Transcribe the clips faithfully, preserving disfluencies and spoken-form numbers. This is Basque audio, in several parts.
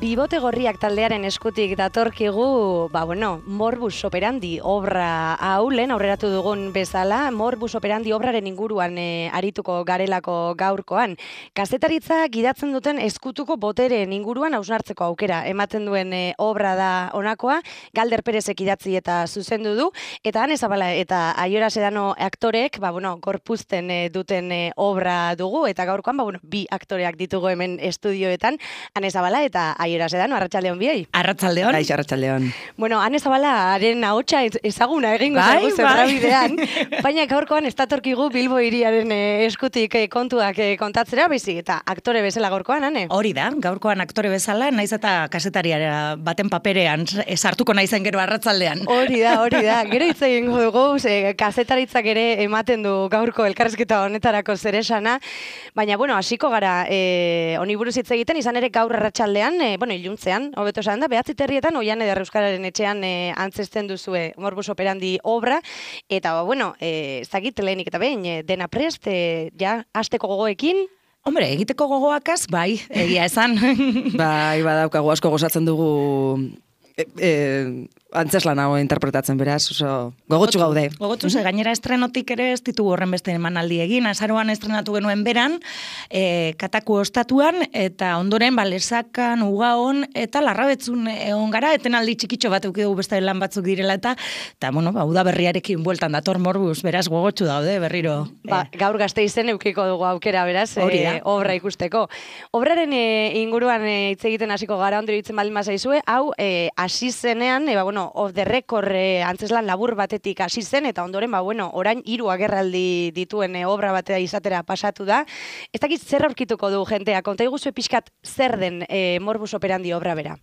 Bibote Gorriak taldearen eskutik datorkigu, ba bueno, Morbus Operandi obra hau lehen aurreratu dugun bezala, Morbus Operandi obraren inguruan e, arituko garelako gaurkoan. Kazetaritza gidatzen duten eskutuko botereen inguruan hausnartzeko aukera ematen duen e, obra da honakoa, Galder Perezek idatzi eta zuzendu du, eta Ane Zabala eta Aiora Sedano aktoreek, ba bueno, gorpuzten e, duten e, obra dugu, eta gaurkoan, ba bueno, bi aktoreak ditugu hemen estudioetan, Ane Zabala eta Aiora Sedano, arratsaldeon biei. Arratsaldeon. Kaixo, arratsaldeon. Bueno, Ane Zabalaren ahotsa ezaguna egingo zaigu zentrabidean, baina gaurkoan ez datorkigu Bilbo hiriaren eh, eskutik eh, kontuak eh, kontatzera, baizik eta aktore bezala gaurkoan, Ane? Hori da, gaurkoan aktore bezala, naiz eta kazetariara baten paperean sartuko naizen gero arratsaldean. Hori da, hori da. Gero hitz egingo dugu, ze kazetaritzak ere ematen du gaurko elkarrizketa honetarako zeresana, baina bueno, hasiko gara eh, honi buruz hitz egiten, izan ere gaur arratsaldean, e, bueno, iluntzean, hobeto esan da, behatzi terrietan, Oian Eder Euskararen etxean e, antzesten duzue Morbus Operandi obra, eta, bueno, e, zagit lehenik eta behin, e, dena prest, e, ja, hasteko gogoekin? Hombre, egiteko gogoakaz, bai, egia esan. Bai, badaukagu asko gozatzen dugu e, e, antzeslan hau interpretatzen beraz, oso gogotsu gaude. Gogotsu, ze gainera estrenotik ere ez ditugu horren beste emanaldi egin, azaroan estrenatu genuen beran, e, Kataku ostatuan, eta ondoren balesakan, ugaon, eta larrabetzun egon gara, etenaldi txikitxo bat eukidugu beste lan batzuk direla, eta, eta bueno, ba, uda berriarekin bueltan dator Morbus, beraz gogotsu daude, berriro. Ba, e. Gaur Gasteizen eukiko dugu aukera, beraz, e, obra ikusteko. Obraren e, inguruan e, hitz egiten hasiko gara, ondori hitzen baldin bazaizue, hau, e, hasi zenean, e, ba, bueno, off the record eh, antzeslan labur batetik hasi zen, eta ondoren, ba, bueno, orain hiru agerraldi dituen eh, obra batea izatera pasatu da. Ez dakit zer aurkituko du jentea, konta iguzue pixkat zer den eh, Morbus Operandi obra bera?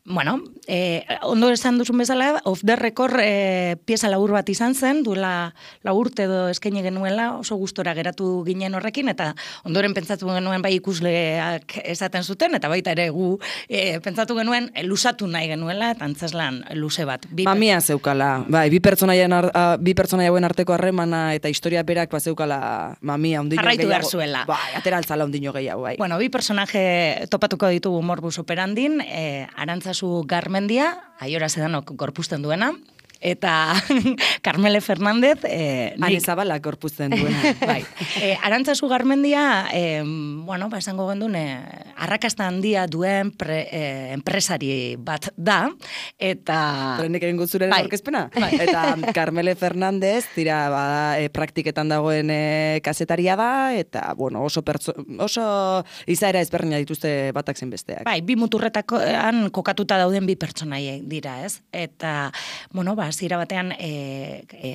Bueno, eh, ondo esan duzun bezala, off the record eh, pieza labur bat izan zen, duela laurte edo eskaini genuela, oso gustora geratu ginen horrekin, eta ondoren pentsatu genuen bai ikusleak esaten zuten, eta baita ere gu eh, pentsatu genuen eh, lusatu nahi genuela, eta antzeslan luze bat. Bi Mamia zeukala, bai, bi pertsonaien ar, a, bi pertsonaia hauen arteko harremana eta historia berak ba zeukala mamia ondino gehiago. Arraitu behar zuela. Bai, ateraltzala ondino gehiago, bai. Bueno, bi personaje topatuko ditugu Morbus Operandin, eh, Arantzazu Garmendia, Aiora Sedanok gorpuzten duena, eta Carmele Fernández... Eh, Ane Zabala gorpuzten duena. Bai. Eh, Arantzazu Garmendia, eh, bueno, ba, esango gendun, eh, arrakasta handia duen pre, eh, enpresari bat da, eta... Trenek egin guzuraren bai. orkezpena. Bai. Eta Carmele Fernández, tira, bada, e, praktiketan dagoen e, kazetaria da, eta, bueno, oso, pertso, oso izaera ezberdina dituzte batak zen besteak. Bai, bi muturretakoan kokatuta dauden bi pertsonaie dira, ez? Eta, bueno, ba, zira batean e, e,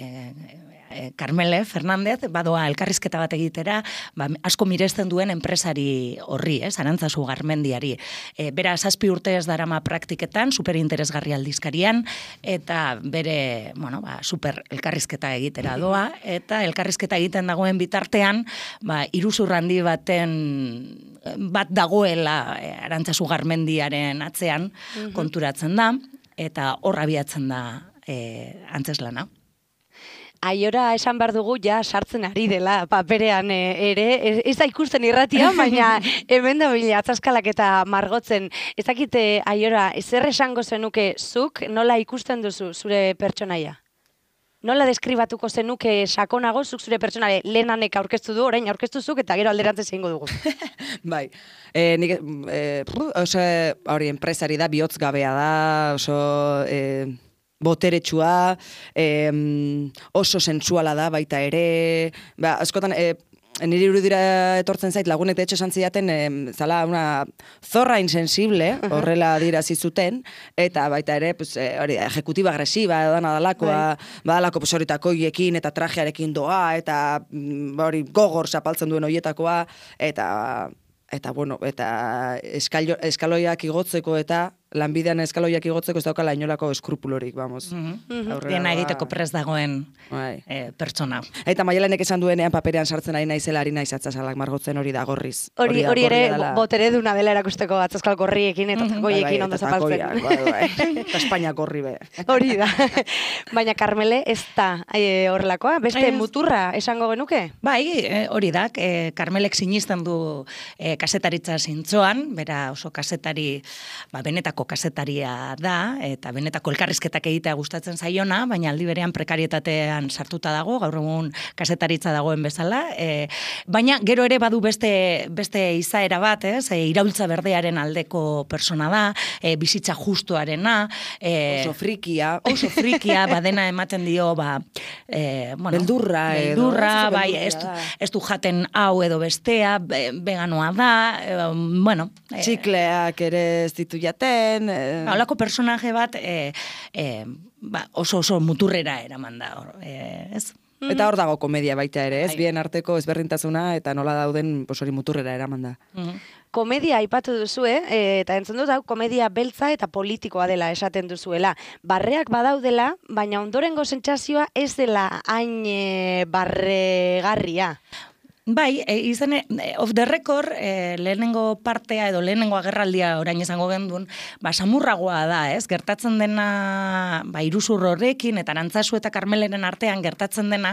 e, Carmele Fernández badoa elkarrizketa bat egitera, ba, asko miresten duen enpresari horri, ez, Arantzazu Garmendiari. E, bera, zazpi urte ez darama praktiketan, superinteresgarri aldizkarian, eta bere, bueno, ba, super elkarrizketa egitera doa, eta elkarrizketa egiten dagoen bitartean, ba, iruzur handi baten bat dagoela e, Arantzazu Garmendiaren atzean mm-hmm. konturatzen da, eta horra abiatzen da E, antzeslana. Aiora esan behar dugu ja sartzen ari dela paperean e, ere, ez, ez da ikusten irratia, baina hemen da bila atzaskalak eta margotzen. Ez dakite, Aiora, zer esango zenuke zuk, nola ikusten duzu zure pertsonaia? Nola deskribatuko zenuke sakonago zuk zure pertsonaia lehenanek aurkeztu du, orain aurkeztu zuk eta gero alderantzez egingo dugu? Bai, e, nik, e, oso hori enpresari da, bihotz gabea da, oso... E, boteretsua, eh, oso sentsuala da baita ere, ba, askotan, eh, niri irudira etortzen zait lagunek de hecho esan zidaten, eh, zala una zorra insensible, horrela dirazi zuten, eta baita ere, pues, eh, hori, ejecutiba agresiba, edana dalakoa, badalako pues, horitako hiekin eta trajearekin doa, eta hori gogor zapaltzen duen horietakoa, eta... Eta, bueno, eta eskalo, eskaloiak igotzeko eta lanbidean eskaloiak igotzeko ez daukala inolako eskrupulorik, vamos. Mm-hmm. Dena egiteko prest dagoen eh, pertsona. Eta Maialenek esan duenean paperean sartzen ari naizela ari naiz atzasalak margotzen hori da gorriz. Hori hori ere botere duna dela erakusteko atzaskal gorriekin eta goiekin ondo zapaltzen. Eta Espainia gorri be. Hori da. Baina Karmele ez da horrelakoa, beste muturra esango genuke? Bai, hori da, Karmelek sinisten du kasetaritza zintzoan, bera oso kasetari, ba, benetako kasetaria da, eta benetako elkarrizketak egitea gustatzen zaiona, baina aldi berean prekarietatean sartuta dago, gaur egun kasetaritza dagoen bezala, e, baina gero ere badu beste, beste izaera bat, ez, e, iraultza berdearen aldeko persona da, e, bizitza justuarena, e, oso frikia, oso frikia, badena ematen dio, ba, e, bueno, beldurra, beldurra, edo, bai, ez du, ez du jaten hau edo bestea, veganoa da, e, bueno. E, Txikleak ere ez ditu jaten, Eh, Holako personaje bat eh, eh, ba, oso oso muturrera eraman da, eh, ez? Eta hor dago komedia baita ere, ez? Bien arteko ezberdintasuna eta nola dauden hori muturrera eraman da. Komedia aipatu duzue, eh, eta entzun dut hau komedia beltza eta politikoa dela esaten duzuela. Barreak badaudela, baina ondorengo sentsazioa ez dela hain e, barregarria. Bai, e, izan, e, off the record, e, lehenengo partea edo lehenengo agerraldia orain izango gendun, ba, samurragoa da, ez? Gertatzen dena, ba, iruzur horrekin, eta Arantzazu eta Karmeleren artean gertatzen dena,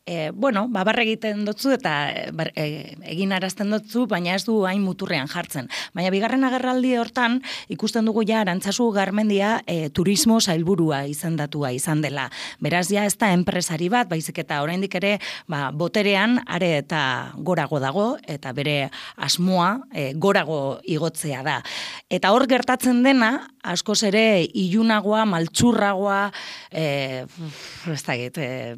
e, bueno, ba, barre egiten dutzu eta bar, e, egin arazten dutzu, baina ez du hain muturrean jartzen. Baina bigarren agerraldi hortan, ikusten dugu ja Arantzazu Garmendia e, turismo sailburua izendatua izan dela. Beraz, ja ez da enpresari bat, baizik eta oraindik ere, ba, boterean, are eta gorago dago, eta bere asmoa e, gorago igotzea da. Eta hor gertatzen dena, askoz ere ilunagoa, maltsurragoa, e, ez da git, e,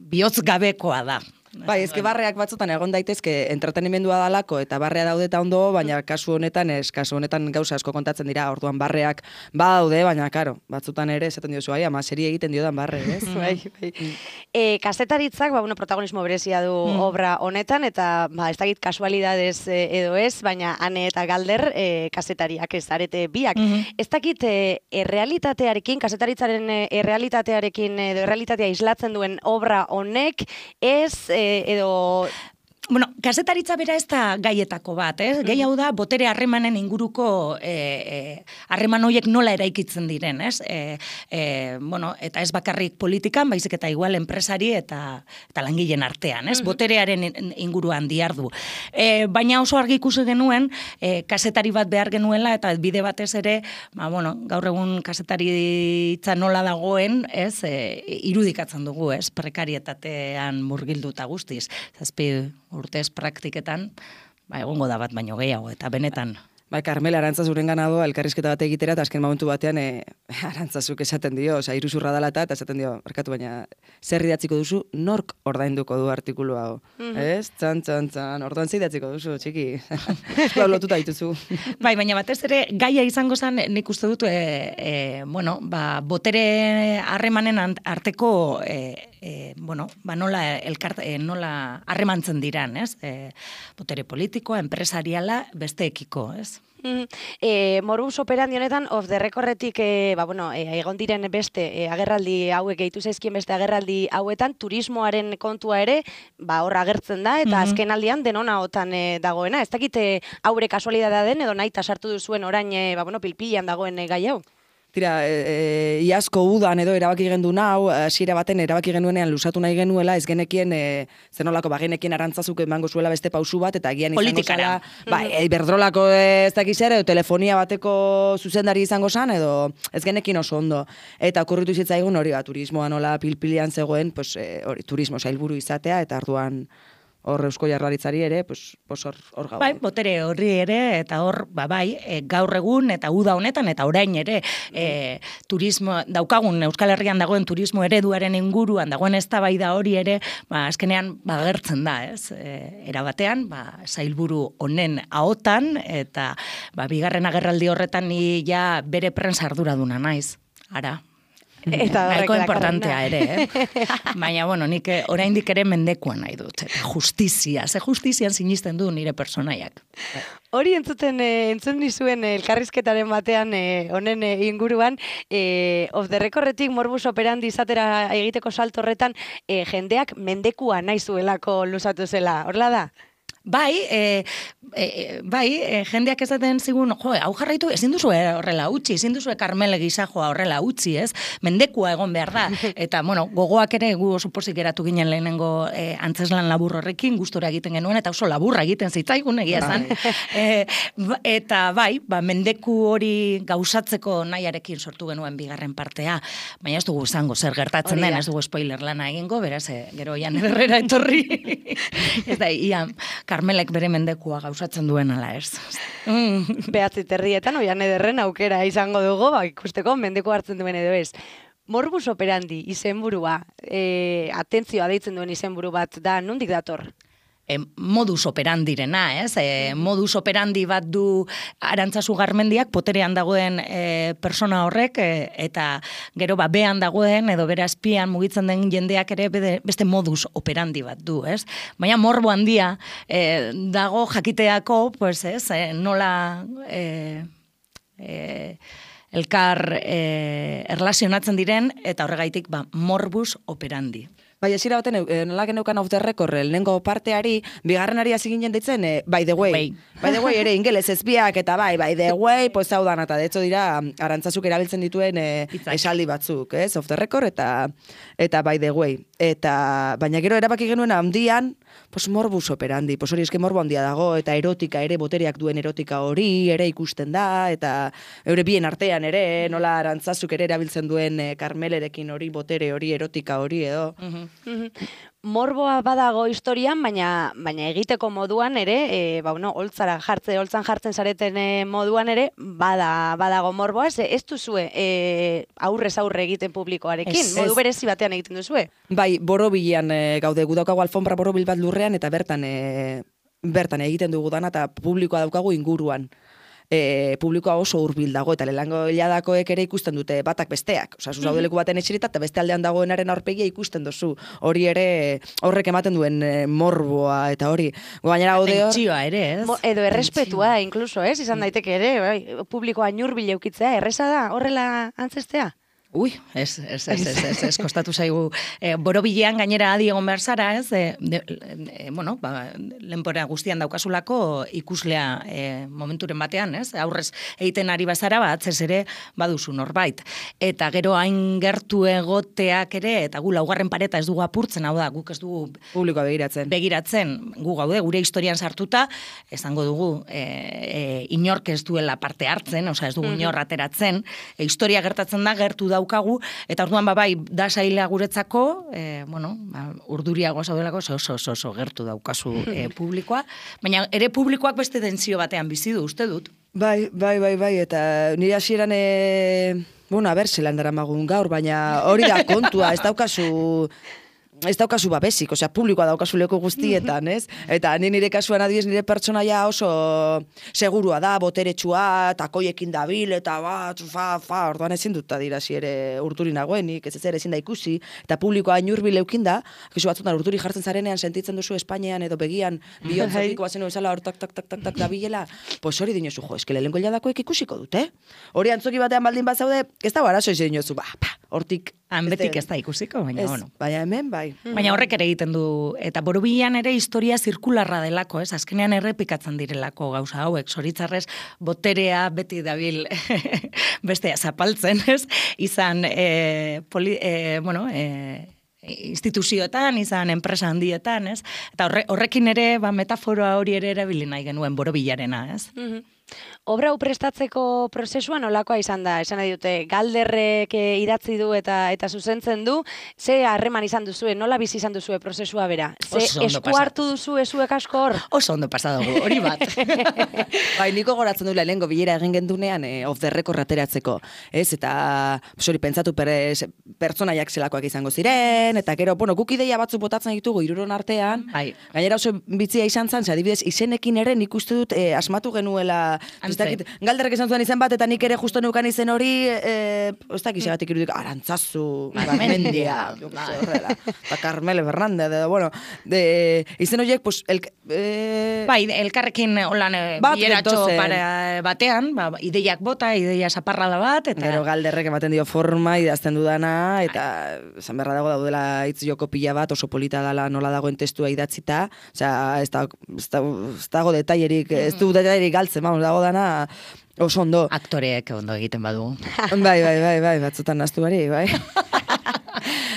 bihotz gabekoa da. Bai, ezke barreak batzutan egon daitezke entretenimendua dalako eta barrea daude eta ondo, baina kasu honetan ez, kasu honetan gauza asko kontatzen dira, orduan barreak badaude, baina karo, batzutan ere esaten diozu, ai, ama serie egiten diodan barre, ez? Bai, bai. E, kazetaritzak, ba, bueno, protagonismo berezia du mm. obra honetan, eta ba, ez dakit kasualidades edo ez, baina Ane eta Galder e, kazetariak ez arete biak. Mm-hmm. Ez dakit e, errealitatearekin, kazetaritzaren errealitatearekin edo errealitatea islatzen duen obra honek, ez e, edo... Bueno, kasetaritza bera ez da gaietako bat, eh? Gai hau da, botere harremanen inguruko harreman e, horiek nola eraikitzen diren, ez? E, e, bueno, eta ez bakarrik politikan, baizik eta igual enpresari eta, eta langileen artean, ez? Boterearen inguruan diardu. E, baina oso argi ikusi genuen, e, kasetari bat behar genuela, eta bide batez ere, ba, bueno, gaur egun kasetaritza nola dagoen, ez? E, irudikatzen dugu, ez? Prekarietatean murgilduta guztiz. Zazpi urtez praktiketan, ba, egongo da bat baino gehiago, eta benetan. Ba, Karmela Arantzazuren gana doa, elkarrizketa bat egitera, eta azken momentu batean e, Arantzazuk esaten dio, oza, iruzurra dala eta esaten dio, barkatu, baina zer idatziko duzu, nork ordainduko du artikulu hau. Mm-hmm. Ez? Txan, txan, txan, orduan zer idatziko duzu, txiki. Lau lotuta dituzu. Bai, baina batez ere, gaia izango zen, nik uste dut, e, e, bueno, ba, botere harremanen arteko, e, e, bueno, ba, nola, elkart, e, nola harremantzen diran, ez? E, botere politikoa, empresariala, besteekiko, ez? Mm, e, Morbus operandi honetan, off the recordretik, e, ba, bueno, e, egon diren beste e, agerraldi hauek, gehitu zaizkien beste agerraldi hauetan, turismoaren kontua ere, ba, horra agertzen da, eta mm-hmm. azken aldian denona otan e, dagoena. Ez dakite haure kasualidadea den, edo nahi sartu duzuen orain, e, ba, bueno, pilpilan dagoen e, gai hau? Tira, e, e, iazko udan edo erabaki gendu nau, hasiera baten erabaki genuenean lusatu nahi genuela, ez genekien, e, zenolako, ba, genekien Arantzazuk emango zuela beste pausu bat, eta gian izango zela, ba, e, berdrolako ez dakiz ere, telefonia bateko zuzendari izango zan, edo ez genekin oso ondo. Eta okurritu zitzaigun hori, ba, turismoa nola pilpilian zegoen, pues, e, hori, turismo sailburu izatea, eta arduan hor Eusko Jaurlaritzari ere, pues, pues hor, hor gau. Bai, botere horri ere, eta hor, ba, bai, e, gaur egun, eta uda honetan, eta orain ere, e, turismo, daukagun, Euskal Herrian dagoen turismo ereduaren inguruan, dagoen eztabaida hori ere, ba, azkenean, ba, gertzen da, ez? E, erabatean, ba, sailburu honen ahotan, eta, ba, bigarren agerraldi horretan ni ja bere prensa arduraduna naiz, ara. Eta horrek nahiko dakarrena. importantea ere, eh? Baina, bueno, nik eh, oraindik ere mendekuan nahi dut. Eta justizia, ze justizian sinisten du nire personaiak. Hori entzuten, eh, entzun nizuen eh, elkarrizketaren batean eh, honen eh, inguruan, eh, off the recordretik morbus operandi izatera egiteko salto horretan, eh, jendeak mendekua nahi zuelako luzatu zela, horla da? Bai, e, e, bai, e, jendeak esaten zigun, jo, hau jarraitu, ezin duzu horrela utzi, ezin duzu Karmele gisajoa horrela utzi, ez? Mendekua egon behar da. Eta, bueno, gogoak ere gu oso pozik geratu ginen lehenengo e, antzeslan labur horrekin, gustora egiten genuen, eta oso laburra egiten zitzaigun egia esan. e, eta bai, ba, mendeku hori gauzatzeko nahiarekin sortu genuen bigarren partea, baina ez dugu izango zer gertatzen den, ez dugu spoiler lana egingo, beraz, e, gero Jan Ederrera etorri. Ez da, ia, Karmelek bere mendekua gauzatzen duen ala ez. Mm. Behatzi terrietan, Oian Ederren aukera izango dugu, ba, ikusteko mendeku hartzen duen edo ez. Morbus operandi izenburua, e, atentzioa deitzen duen izenburu bat da, nondik dator? E, modus operandirena, ez? E, modus operandi bat du Arantzazu Garmendiak poterean dagoen e, persona horrek e, eta gero ba behan dagoen edo bere azpian mugitzen den jendeak ere bede, beste modus operandi bat du, ez? Baina morbo handia e, dago jakiteako, pues, ez? E, nola e, e, elkar e, erlazionatzen diren eta horregaitik ba morbus operandi. Bai, esira baten, e, nola geneukan off the record, lehenengo parteari, bigarrenari hasi ginen ditzen, e, by the way. Bai. By the way, ere ingeles ezbiak, eta bai, by the way, pues hau dan, eta de hecho dira, Arantzazuk erabiltzen dituen e, esaldi batzuk, ez? Off the record, eta, eta by the way. Eta, baina gero erabaki genuen handian, pues morbus operandi, pues hori eske morbo handia dago, eta erotika ere, botereak duen erotika hori, ere ikusten da, eta eure bien artean ere, nola Arantzazuk ere erabiltzen duen e, Karmelerekin hori, botere hori, erotika hori, edo. Morboa badago historian, baina baina egiteko moduan ere, e, ba, no, holtzara jartze, holtzan jartzen zareten e, moduan ere, bada, badago morboa, ez, ez duzue e, aurrez aurre egiten publikoarekin, Ez, modu ez. berezi batean egiten duzue. Bai, borobilean e, gaude, gu daukagu alfombra borobil bat lurrean, eta bertan e, bertan egiten dugu dana, eta publikoa daukagu inguruan. E, publikoa oso hurbil dago, eta lehengo hiladakoek ere ikusten dute batak besteak. Osa, zuzaudeleko baten etxerita, eta beste aldean dagoenaren aurpegia ikusten duzu. Hori ere horrek ematen duen e, morboa, eta hori. Gainera gaude hor... Tentsioa ere, ez? Mo, edo errespetua, inkluso, ez? Izan daiteke ere, bai, publikoa ñurbil eukitzea, erresa da, horrela antzestea? Ui, ez, ez, ez, ez, ez, ez, kostatu zaigu. E, borobilean gainera adi egon behar zara, ez? E, de, e, bueno, ba, lenpora guztian daukasulako ikuslea e, momenturen batean, ez? Aurrez egiten ari bazara, ba, atzez ere baduzu norbait. Eta gero hain gertu egoteak ere, eta gu laugarren pareta ez dugu apurtzen, hau da, guk ez dugu Publikoa begiratzen. begiratzen, gu gaude, gure historian sartuta, esango dugu, e, e, inork ez duela parte hartzen, osea ez dugu inor ateratzen, e, historia gertatzen da, gertu da daukagu, eta orduan ba bai, da saila guretzako, e, bueno, ba, urduriago zaudelako, oso, oso, oso gertu daukazu e, publikoa, baina ere publikoak beste tentsio batean bizi du, uste dut. Bai, bai, bai, bai, eta nire hasieran, e, bueno, a ber, zelan daramagun gaur, baina hori da kontua, ez daukazu... Ez daukazu babesik, osea, publikoa daukazu leku guztietan, ez? Eta ni nire kasuan adibidez nire pertsonaia oso segurua da, boteretsua, takoiekin dabil, eta bat, fa, fa, orduan ezin dut adirasi ere urduri nagoenik, ez ez ere ezin da ikusi, eta publikoa inurbil eukin da, kizu batzutan urduri jartzen zarenean sentitzen duzu Espainian edo begian bihotzatiko bazen bezala hor tak, tak, tak, tak, tak, dabilela, pues hori dinozu, jo, eske lehenko hiladakoek ikusiko dute, hori antzoki batean baldin bat zaude, ez da barazo ez dinozu, ba, pa, hortik, Han betik ez da ikusiko, baina, ez, bueno. baina hemen, bai. Baina horrek ere egiten du, eta borobilean ere historia zirkularra delako, ez? Azkenean errepikatzen direlako gauza hauek, zoritzarrez boterea beti dabil bestea zapaltzen, ez? Izan, e, poli, e, bueno, e, instituzioetan, izan enpresa handietan, ez? Eta horre, horrekin ere, ba, metafora hori ere erabili nahi genuen borobilarena, ez? Mhm. Obra hau prestatzeko prozesuan nolakoa izan da? Esan nahi dute, Galderrek idatzi du eta eta zuzentzen du, ze harreman izan duzue, nola bizi izan duzue prozesua bera? Ze Oso ondo esku pasa. hartu duzu ezuek asko hor? Oso ondo pasa dugu, hori bat. Bai, niko goratzen duela lehengo bilera egin gendunean e, off the record ateratzeko, ez? Eta, hori pentsatu per, pertsonaiak zelakoak izango ziren, eta gero, bueno, guk ideia batzuk botatzen ditugu hiruron artean, Bai. gainera oso bitzia izan zen, ze adibidez, izenekin ere nik uste dut e, asmatu genuela ez dakit, galderrek esan zuen izen bat, eta nik ere justo neukan izen hori, e, ez dakit segatik irudik, Arantzazu, Mendia, eta Carmele Fernández, edo, bueno, de, izen horiek, pues, el, e, bai, elkarrekin holan bieratxo batean, ba, ideiak bota, ideia zaparrada bat, eta... Gero galderrek ematen dio forma, idazten dudana, eta esan beharra dago daudela hitz joko pila bat, oso polita dela nola dagoen testua idatzita, osea, ez da, ez da, ez dago detailerik, ez du detailerik galtzen, vamos, dago dana oso ondo. Aktoreek ondo egiten badu. Bai, bai, bai, bai, batzutan naztu bari, bai.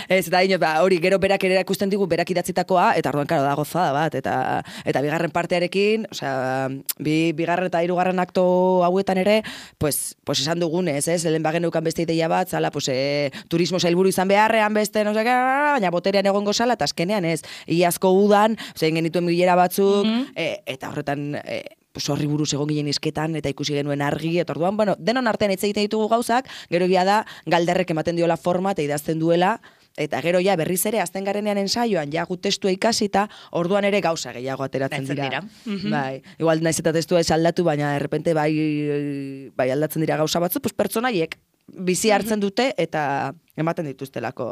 Ez, eta ino, ba, hori, gero berak ere erakusten digu, berak idatzitakoa, eta orduan, karo, da gozada bat, eta eta bigarren partearekin, osea, bi, bigarren eta hirugarren akto hauetan ere, pues, pues esan dugunez, ez, lehen bagen neukan beste ideia bat, zala, pues, e, turismo sailburu izan beharrean beste, no sé, baina boterean egongo zala, eta azkenean, ez, iazko udan, zein genituen bilera batzuk, mm-hmm. e, eta horretan, e, pues horri buruz egon ginen isketan, eta ikusi genuen argi, eta orduan, bueno, denon artean hitz egiten ditugu gauzak, gero egia da, galderrek ematen diola forma, eta idazten duela, eta gero ja berriz ere azten garenean ensaioan ja gut testua ikasita, orduan ere gauza gehiago ateratzen dira. dira. Mm-hmm. Bai, igual naiz eta testua ez aldatu, baina errepente bai, bai aldatzen dira gauza batzu, pues pertsonaiek bizi hartzen dute eta ematen dituztelako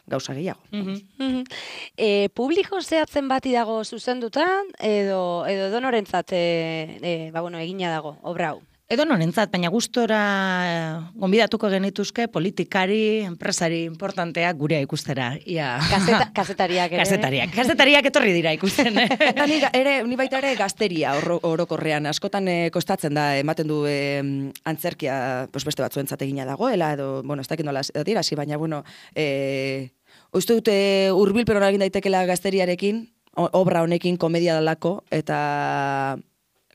gauza gehiago. Mm-hmm. Mm-hmm. E, publiko zehatzen bati dago zuzenduta, edo, edo donorentzat e, e, ba, bueno, egina dago, obra hau? Edo norentzat, baina gustora gonbidatuko genituzke politikari, enpresari importanteak gurea ikustera. Ia. Kaseta, kasetariak ere. Kasetariak. Kasetariak etorri dira ikusten. Eta ni, ere, ni baita ere gazteria orokorrean. Askotan e, kostatzen da, ematen du e, antzerkia pues beste batzuentzat egina dagoela, edo, bueno, ez dakit nola dira, hasi, baina, bueno, e, uste dute hurbilpen egin daitekela gazteriarekin, obra honekin, komedia dalako, eta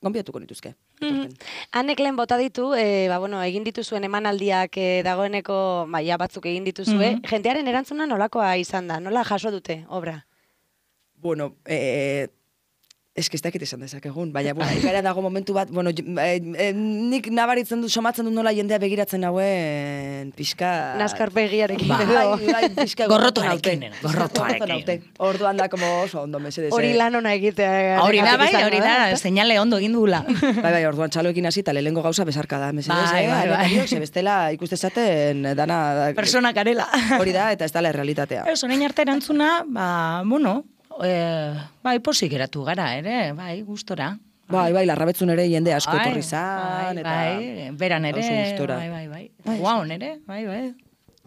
gonbidatuko nituzke. Mm-hmm. Hanek lehen bota ditu, e, ba, bueno, egin dituzuen emanaldiak e, dagoeneko, ba, ja batzuk egin dituzue, mm-hmm. jentearen erantzuna nolakoa izan da, nola jaso dute, obra? Bueno, eh, eski ez dakit esan dezakegun, baina, bueno, ikara dago momentu bat, bueno, e, e, nik nabaritzen du, somatzen du nola jendea begiratzen hauen, pixka... Nazkarpegiarekin, bai, edo. Bai, pixka gorrotoarekin, gorrotoarekin. Orduan da, como oso ondo, mesedez. Hori lan ona egitea. Hori da, bai, hori da, seinale ondo egin dugula. Bai, bai, orduan txaloekin hasi, eta lehengo gauza besarka da, mesedez, bai, eh? Bai, bai. Sebestela ikuste zaten, dana... Persona karela. Hori da, eta ez da la realitatea. Ez, orain arte erantzuna, ba, bueno... E, bai, posik geratu gara, ere, bai, gustora. Bai, bai, larrabetzun ere jende asko etorri zan, bai, eta... Bai, beran ere, bai, bai, bai. Guaun ere, bai, bai.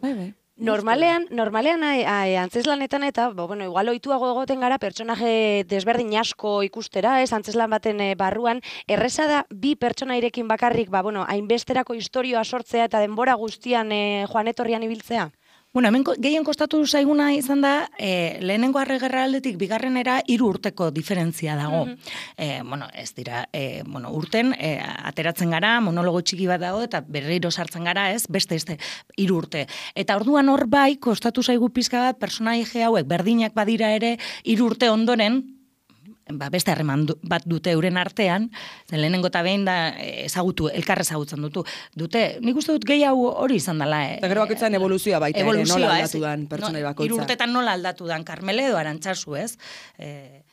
Bai, bai. Normalean, normalean ai, ai, antzeslanetan eta, bo, bueno, igual ohituago egoten gara pertsonaje desberdin asko ikustera, ez, antzeslan baten e, barruan, erreza da bi pertsonairekin bakarrik, ba, bueno, hainbesterako istorioa sortzea eta denbora guztian e, joan etorrian ibiltzea? Bueno, hemen gehien kostatu zaiguna izan da, e, lehenengo arregerra aldetik bigarrenera hiru urteko diferentzia dago. Mm-hmm. e, bueno, ez dira, e, bueno, urten e, ateratzen gara, monologo txiki bat dago, eta berriro sartzen gara, ez, beste, este, hiru urte. Eta orduan hor bai, kostatu zaigu pizka bat, personaje hauek berdinak badira ere, hiru urte ondoren, ba, beste harreman bat dute euren artean, zen lehenengo eta behin da ezagutu, elkar ezagutzen dutu. Dute, nik uste dut gehiago hori izan dela. Eta gero bakoitzan evoluzioa baita ere, nola aldatu dan pertsonai bakoitza. Hiru urtetan nola aldatu dan Carmele edo Arantzazu, ez? E,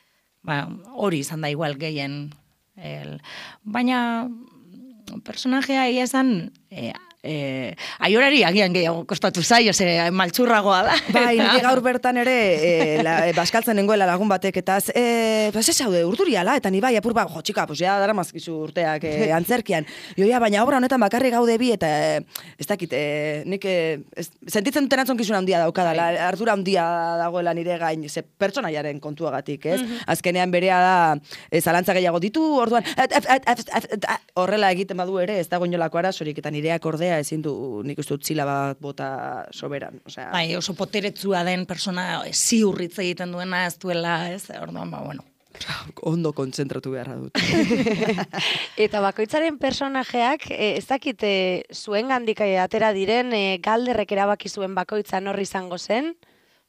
ba, hori izan da igual gehien. El, baina personajea ia esan... E, Eh, aiorari agian gehiago kostatu zai, ose, maltsurragoa da. Bai, nire gaur bertan ere eh, la, eh, baskaltzen nengoela lagun batek, eta eh, pues ez haude, urduriala, eta ni bai, apur ba, jo, txika, pues ja, dara mazkizu urteak eh, antzerkian. Joia, baina obra honetan bakarri gaude bi, eta eh, ez dakit, eh, nik eh, ez, sentitzen duten antzonkizun handia daukadala, ardura handia dagoela nire gain, ze pertsonaiaren kontuagatik, ez? Mm-hmm. Azkenean berea da, eh, zalantza gehiago ditu, orduan, et, et, et, et, et, et, horrela egiten badu ere, ez dago inolako arazorik, eta nireak ordea ezin du, nik uste dut zila bat bota soberan. Osea... Bai, oso poteretzua den persona ziurritz egiten duena ez duela, ez? Orduan, ba, bueno. Ondo kontzentratu beharra dut. Eta bakoitzaren personajeak, ez dakit zuen gandik atera diren, e, galderrek erabaki zuen bakoitza norri izango zen?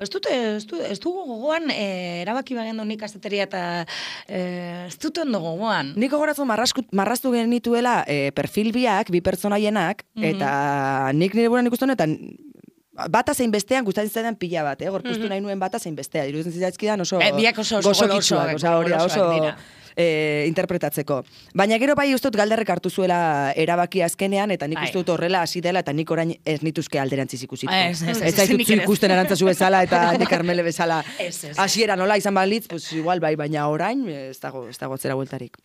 Ez dute, ez du, ez dugu gogoan, e, erabaki bagendu nik asteteria eta e, ez dute ondo gogoan. Nik gogoratzen marraztu genituela e, perfil biak, bi pertsonaienak, mm-hmm. eta nik nire buran ikusten honetan, bata zein bestean gustatzen zaidan pila bat, eh? Gorpuztu mm-hmm. nahi nuen bata zein bestea. Iruditzen zitzaizkidan oso e, biak oso, oso golosok, oso, oso, oso, e, interpretatzeko. Baina gero bai uste dut galderrek hartu zuela erabaki azkenean, eta nik Bai. uste dut horrela hasi dela, eta nik orain ez nituzke alderantziz ikusiko. Ez, ez, ez, Ez zaitut nik zu ere ez. ikusten arantzazu bezala, eta nik Carmele bezala. Ez, ez. Hasiera nola izan balitz, pues igual bai, baina orain ez dago, ez dago zera bueltarik.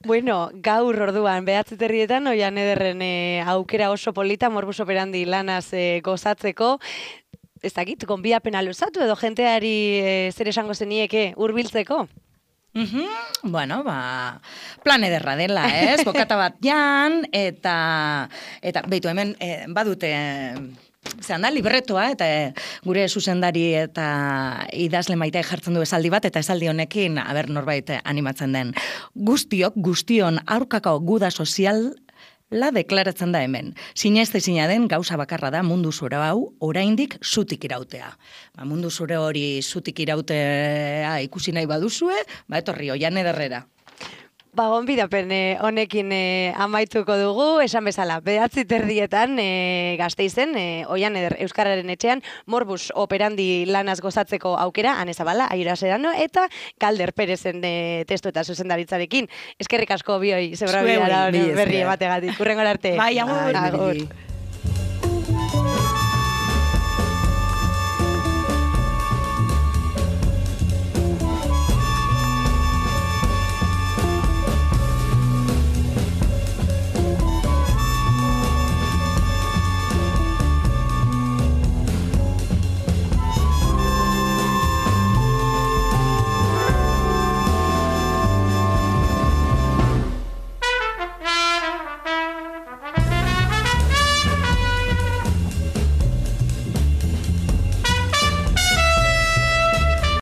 Bueno, gaur orduan, behatzi terrietan, oian ederren e, aukera oso polita, morbus operandi lanaz e, gozatzeko, ez dakit, gonbiapena luzatu edo jenteari e, zer esango zenieke hurbiltzeko? Mhm, bueno, ba, plan ederra dela, ez? Kokata bat jan, eta, eta beitu hemen, eh, badute, zehan da, libretoa, eta eh, gure zuzendari eta idazle maite jartzen du esaldi bat, eta esaldi honekin, aber norbait animatzen den, guztiok, guztion aurkako guda sozial, la deklaratzen da hemen. Sineste zina den gauza bakarra da mundu zure hau oraindik zutik irautea. Ba, mundu zure hori zutik irautea ikusi nahi baduzue, ba etorri oian ederrera. Ba, gonbidapen eh, honekin eh, amaituko dugu, esan bezala, behatzi terdietan eh, Gasteizen, eh, oian eder Euskararen etxean, morbus operandi lanaz gozatzeko aukera, Ane Zabala, Aiora Serrano, eta Galder Perezen eh, testu eta zuzendaritzarekin. Eskerrik asko bioi, zebra Zuei, bidara mila esker. berri emategatik. Hurrengora arte. Bai, agur. Ai, Agur. niri.